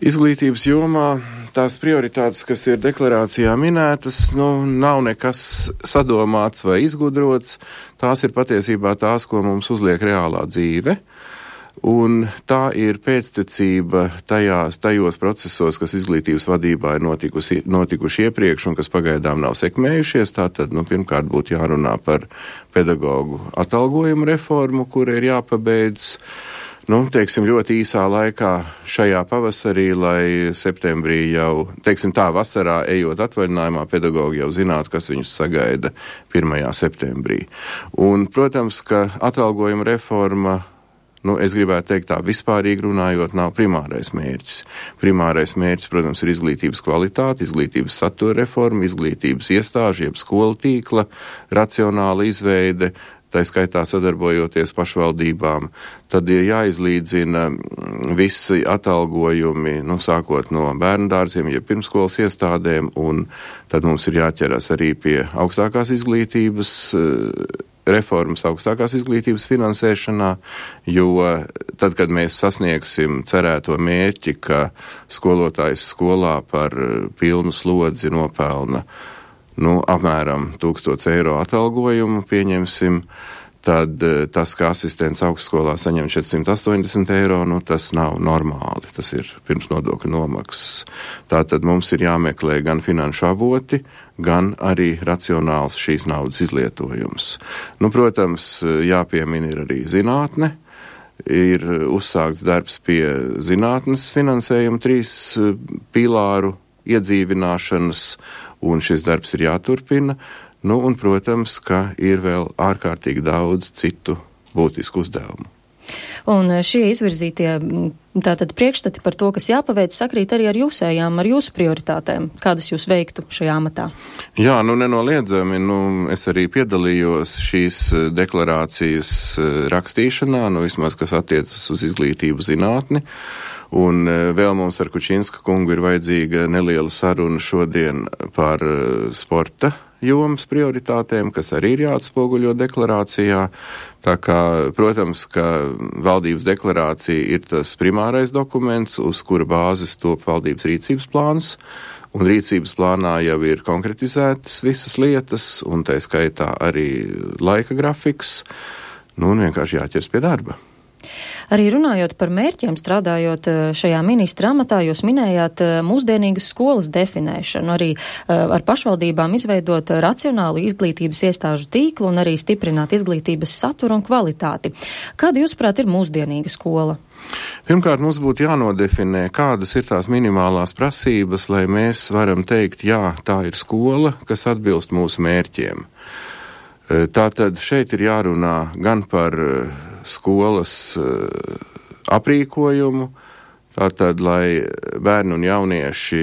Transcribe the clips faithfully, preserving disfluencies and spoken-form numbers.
Izglītības jomā tās prioritātes, kas ir deklarācijā minētas, nu, nav nekas sadomāts vai izgudrots. Tās ir patiesībā tās, ko mums uzliek reālā dzīve. Un tā ir pēctecība tajās, tajos procesos, kas izglītības vadībā ir notikusi, notikuši iepriekš un kas pagaidām nav sekmējušies. Tātad, nu, pirmkārt būtu jārunā par pedagoģu atalgojumu reformu, kura ir jāpabeidz. Nu, teiksim, ļoti īsā laikā šajā pavasarī, lai septembrī jau, teiksim tā, vasarā ejot atvaļinājumā, pedagogi jau zinātu, kas viņus sagaida pirmajā septembrī. Un, protams, ka atalgojuma reforma, nu, es gribētu teikt tā, vispārīgi runājot, nav primārais mērķis. Primārais mērķis, protams, ir izglītības kvalitāte, izglītības satura reforma, izglītības iestāžu, jeb skolu tīkla, racionāla izveide, tā skaitā sadarbojoties pašvaldībām, tad ir jāizlīdzina visi atalgojumi, nu, sākot no bērndārziem, jeb pirmskolas iestādēm, un tad mums ir jāķeras arī pie augstākās izglītības, reformas augstākās izglītības finansēšanā, jo tad, kad mēs sasniegsim cerēto mērķi, ka skolotājs skolā par pilnu slodzi nopelna nu, apmēram tūkstots eiro atalgojumu, pieņemsim, tad tas, ka asistents augstskolā saņem četrsimt astoņdesmit eiro, nu, tas nav normāli, tas ir pirms nodokļu nomaksas. Tātad mums ir jāmeklē gan finanšu avoti, gan arī racionāls šīs naudas izlietojums. Nu, protams, jāpiemina ir arī zinātne, ir uzsākts darbs pie zinātnes finansējuma trīs pīlāru iedzīvināšanas, un šis darbs ir jāturpina, nu, un, protams, ka ir vēl ārkārtīgi daudz citu būtisku uzdevumu. Un šie izvirzītie tātad priekšstati par to, kas jāpaveic, sakrīt arī ar jūsējām, ar jūsu prioritātēm. Kādas jūs veiktu šajā amatā? Jā, nu, nenoliedzami, nu, es arī piedalījos šīs deklarācijas rakstīšanā, nu, vismaz, kas attiecas uz izglītību zinātni. Un vēl mums ar Kučinska kungu ir vajadzīga neliela saruna šodien par sporta jomas prioritātēm, kas arī ir jāatspoguļo deklarācijā. Tā kā, protams, ka valdības deklarācija ir tas primārais dokuments, uz kura bāzes top valdības rīcības plāns, un rīcības plānā jau ir konkretizētas visas lietas, un tā skaitā arī laika grafiks, nu, un vienkārši jāķers pie darba. Arī runājot par mērķiem, strādājot šajā ministra amatā, jūs minējāt mūsdienīgas skolas definēšanu, arī ar pašvaldībām izveidot racionālu izglītības iestāžu tīklu un arī stiprināt izglītības saturu un kvalitāti. Kāda, jūsuprāt, ir mūsdienīga skola? Pirmkārt, mums būtu jānodefinē, kādas ir tās minimālās prasības, lai mēs varam teikt, jā, tā ir skola, kas atbilst mūsu mērķiem. Tātad šeit ir jārunā gan par skolas aprīkojumu, tātad, lai bērni un jaunieši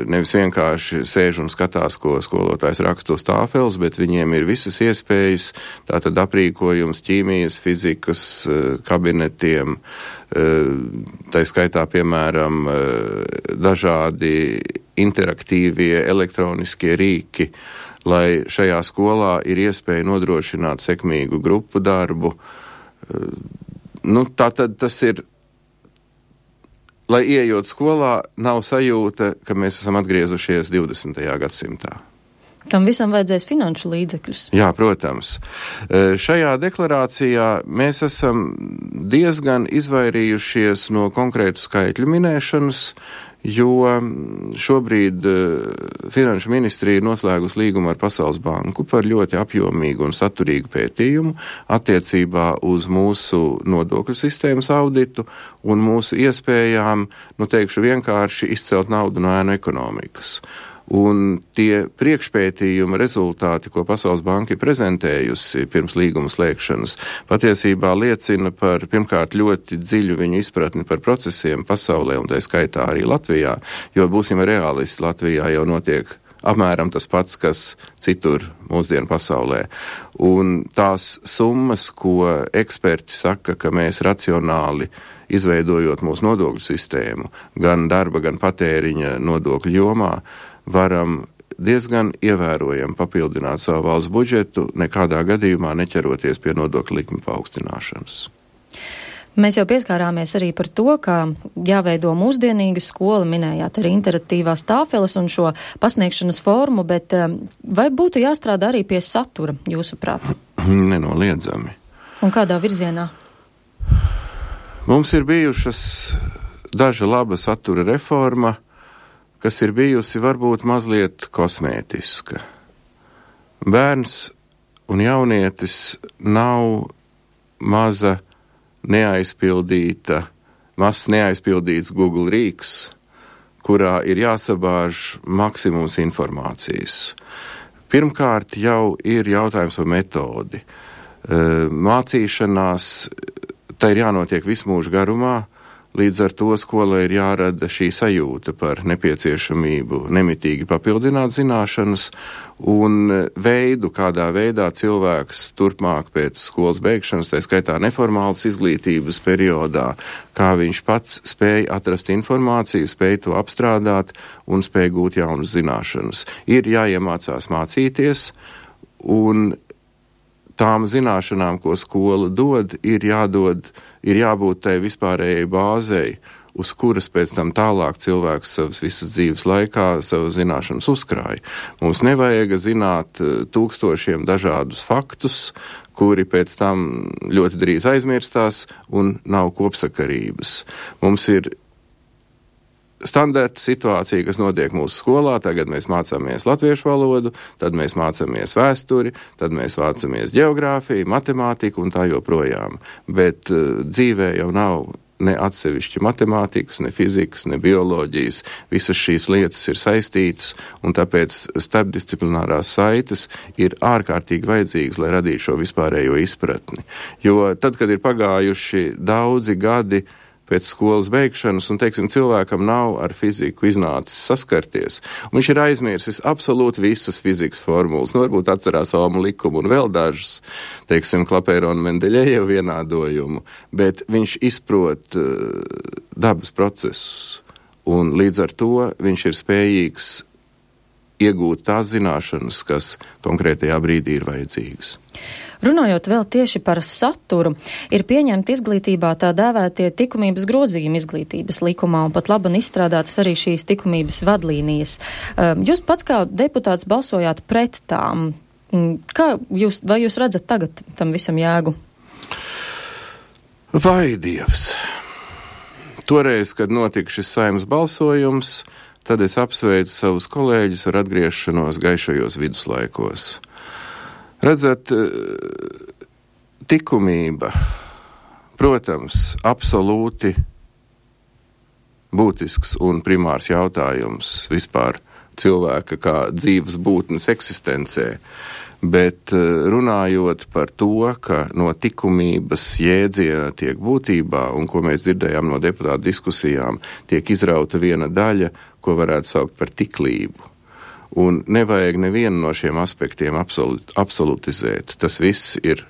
nevis vienkārši sēž un skatās, ko skolotājs raksta uz tāfeles, bet viņiem ir visas iespējas, tātad aprīkojums ķīmijas, fizikas kabinetiem, tā skaitā, piemēram, dažādi interaktīvie elektroniskie rīki, lai šajā skolā ir iespēja nodrošināt sekmīgu grupu darbu. Nu, tā tad tas ir, lai ieejot skolā, nav sajūta, ka mēs esam atgriezušies divdesmitajā gadsimtā. Tam visam vajadzēs finanšu līdzekļus. Jā, protams. Šajā deklarācijā mēs esam diezgan izvairījušies no konkrētu skaitļu minēšanas, jo šobrīd Finanšu ministrija ir noslēgusi līgumu ar Pasaules banku par ļoti apjomīgu un saturīgu pētījumu attiecībā uz mūsu nodokļu sistēmas auditu un mūsu iespējām, nu teikšu vienkārši, izcelt naudu no ēnu ekonomikas. Un tie priekšpētījuma rezultāti, ko Pasaules banka ir prezentējusi pirms līguma slēgšanas, patiesībā liecina par, pirmkārt, ļoti dziļu viņu izpratni par procesiem pasaulē, un tā skaitā arī Latvijā, jo būsim realisti, Latvijā jau notiek apmēram tas pats, kas citur mūsdienu pasaulē. Un tās summas, ko eksperti saka, ka mēs racionāli izveidojot mūsu nodokļu sistēmu, gan darba, gan patēriņa nodokļu jomā, varam diezgan ievērojami papildināt savu valsts budžetu, nekādā gadījumā neķeroties pie nodokļu likmi paaugstināšanas. Mēs jau pieskārāmies arī par to, ka jāveido mūsdienīga skola, minējāt arī interaktīvās tāfeles un šo pasniegšanas formu, bet vai būtu jāstrādā arī pie satura, jūsuprāt? Nenoliedzami. Un kādā virzienā? Mums ir bijušas daža laba satura reforma, kas ir bijusi varbūt mazliet kosmētiska. Bērns un jaunietis nav maza neaizpildīta, mazs neaizpildīts Google rīks, kurā ir jāsabāž maksimums informācijas. Pirmkārt jau ir jautājums par metodi. Mācīšanās, tā ir jānotiek visu mūžu garumā, līdz ar to skolai ir jārada šī sajūta par nepieciešamību nemitīgi papildināt zināšanas un veidu, kādā veidā cilvēks turpmāk pēc skolas beigšanas, tā skaitā neformālas izglītības periodā, kā viņš pats spēja atrast informāciju, spēja to apstrādāt un spēja gūt jaunas zināšanas. Ir jāiemācās mācīties, un tām zināšanām, ko skola dod, ir jādod, ir jābūt tai vispārējai bāzei, uz kuras pēc tam tālāk cilvēks savas visas dzīves laikā savas zināšanas uzkrāja. Mums nevajag zināt tūkstošiem dažādus faktus, kuri pēc tam ļoti drīz aizmirstās un nav kopsakarības. Mums ir standarta situācija, kas notiek mūsu skolā, tagad mēs mācāmies latviešu valodu, tad mēs mācāmies vēsturi, tad mēs mācāmies ģeogrāfiju, matemātiku un tā joprojām. Bet uh, dzīvē jau nav ne atsevišķi matemātikas, ne fizikas, ne bioloģijas. Visas šīs lietas ir saistītas, un tāpēc starpdisciplinārās saites ir ārkārtīgi vajadzīgas, lai radītu šo vispārējo izpratni. Jo tad, kad ir pagājuši daudzi gadi pēc skolas beigšanas, un, teiksim, cilvēkam nav ar fiziku iznācis saskarties, un viņš ir aizmirsis absolūti visas fizikas formulas, nu, varbūt atcerās Ohma likumu un vēl dažas, teiksim, Klapēra un Mendeļejeva vienādojumu, bet viņš izprot uh, dabas procesus, un līdz ar to viņš ir spējīgs iegūt tās zināšanas, kas konkrētajā brīdī ir vajadzīgas. Runājot vēl tieši par saturu, ir pieņemti izglītībā tā dēvētie likumības grozījumi izglītības likumā un pat labi izstrādātas arī šīs likumības vadlīnijas. Jūs pats kā deputāts balsojāt pret tām. Kā jūs, vai jūs redzat tagad tam visam jēgu? Vai Dievs! Toreiz, kad notika šis Saeimas balsojums, tad es apsveicu savus kolēģus ar atgriešanos gaišajos viduslaikos. Redzat, likumība, protams, absolūti būtisks un primārs jautājums vispār cilvēka kā dzīves būtnes eksistencē, bet runājot par to, ka no likumības jēdziena tiek būtībā, un ko mēs dzirdējām no deputātu diskusijām, tiek izrauta viena daļa, ko varētu saukt par tiklību. Un nevajag nevienu no šiem aspektiem absolut, absolutizēt. Tas viss ir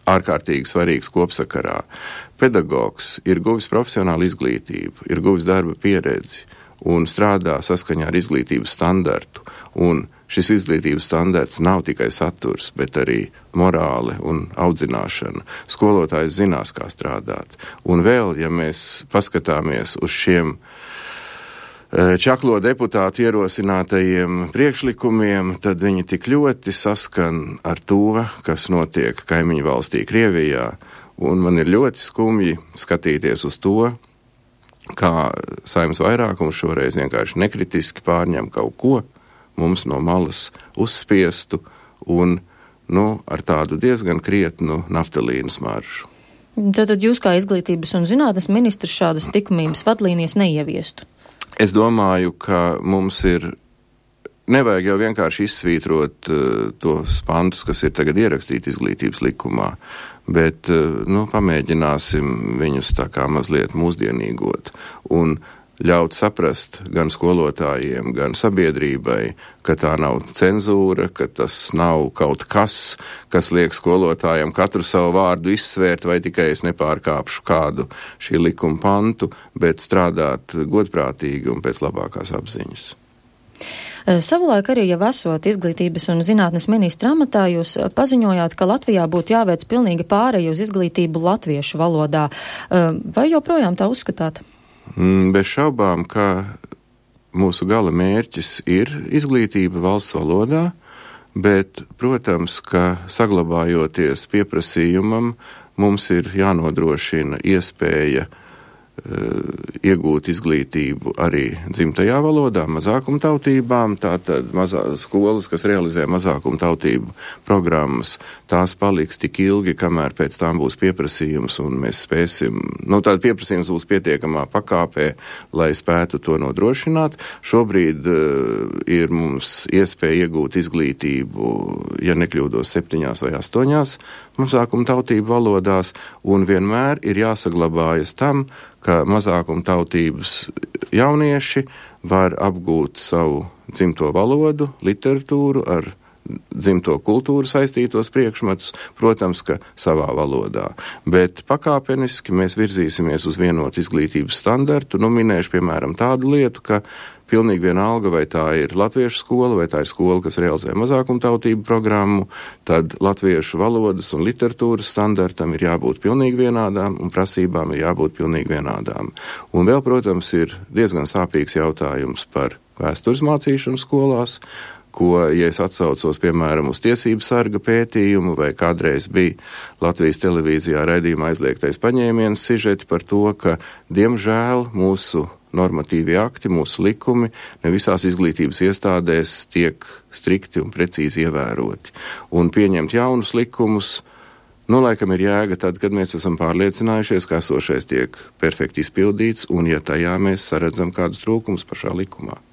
ārkārtīgi svarīgs kopsakarā. Pedagogs ir guvis profesionālu izglītību, ir guvis darba pieredzi un strādā saskaņā ar izglītības standartu. Un šis izglītības standarts nav tikai saturs, bet arī morāle un audzināšana. Skolotājs zinās, kā strādāt. Un vēl, ja mēs paskatāmies uz šiem čaklo deputātu ierosinātajiem priekšlikumiem, tad viņi tik ļoti saskan ar to, kas notiek kaimiņu valstī Krievijā. Un man ir ļoti skumji skatīties uz to, kā Saeimas vairākums šoreiz vienkārši nekritiski pārņem kaut ko, mums no malas uzspiestu un, nu, ar tādu diezgan krietnu naftalīnu smaržu. Tātad jūs kā izglītības un zinātnes ministrs šādas likumības vadlīnijas neieviestu? Es domāju, ka mums ir, nevajag jau vienkārši izsvītrot uh, tos pantus, kas ir tagad ierakstīti izglītības likumā, bet, uh, nu, pamēģināsim viņus tā kā mazliet mūsdienīgot un ļaut saprast gan skolotājiem, gan sabiedrībai, ka tā nav cenzūra, ka tas nav kaut kas, kas liek skolotājiem katru savu vārdu izsvērt, vai tikai es nepārkāpšu kādu šī likuma pantu, bet strādāt godprātīgi un pēc labākās apziņas. Savulaik arī jau esot izglītības un zinātnes ministra amatā, jūs paziņojāt, ka Latvijā būtu jāveic pilnīgi pārēju uz izglītību latviešu valodā. Vai joprojām tā uzskatāt? Bez šaubām, ka mūsu gala mērķis ir izglītība valsts valodā, bet, protams, ka saglabājoties pieprasījumam, mums ir jānodrošina iespēja iegūt izglītību arī dzimtajā valodā, mazākumtautībām, tātad mazā, skolas, kas realizē mazākumtautību programmas, tās paliks tik ilgi, kamēr pēc tām būs pieprasījums un mēs spēsim, nu tāda pieprasījums būs pietiekamā pakāpē, lai spētu to nodrošināt. Šobrīd uh, ir mums iespēja iegūt izglītību, ja nekļūdos septiņās vai astoņās mazākumtautību valodās, un vienmēr ir jāsaglabājas tam, ka mazākumtautības jaunieši var apgūt savu dzimto valodu, literatūru ar dzimto kultūru saistītos priekšmetus, protams, ka savā valodā. Bet pakāpeniski mēs virzīsimies uz vienotu izglītības standartu. Nu, minēšu, piemēram, tādu lietu, ka pilnīgi vienalga, vai tā ir latviešu skola, vai tā ir skola, kas realizē mazākumtautību programmu, tad latviešu valodas un literatūras standartam ir jābūt pilnīgi vienādām un prasībām ir jābūt pilnīgi vienādām. Un vēl, protams, ir diezgan sāpīgs jautājums par vēstures mācīšanu skolās, ko, ja es atsaucos, piemēram, uz tiesību sarga pētījumu, vai kādreiz bija Latvijas televīzijā raidījuma aizliegtais paņēmiens sižeti par to, ka, diemžēl, mūsu normatīvi akti, mūsu likumi ne visās izglītības iestādēs tiek strikti un precīzi ievēroti. Un pieņemt jaunus likumus, nu, laikam ir jēga tad, kad mēs esam pārliecinājušies, ka esošais tiek perfekti izpildīts, un ja tajā mēs saredzam kādus trūkumus pašā likumā.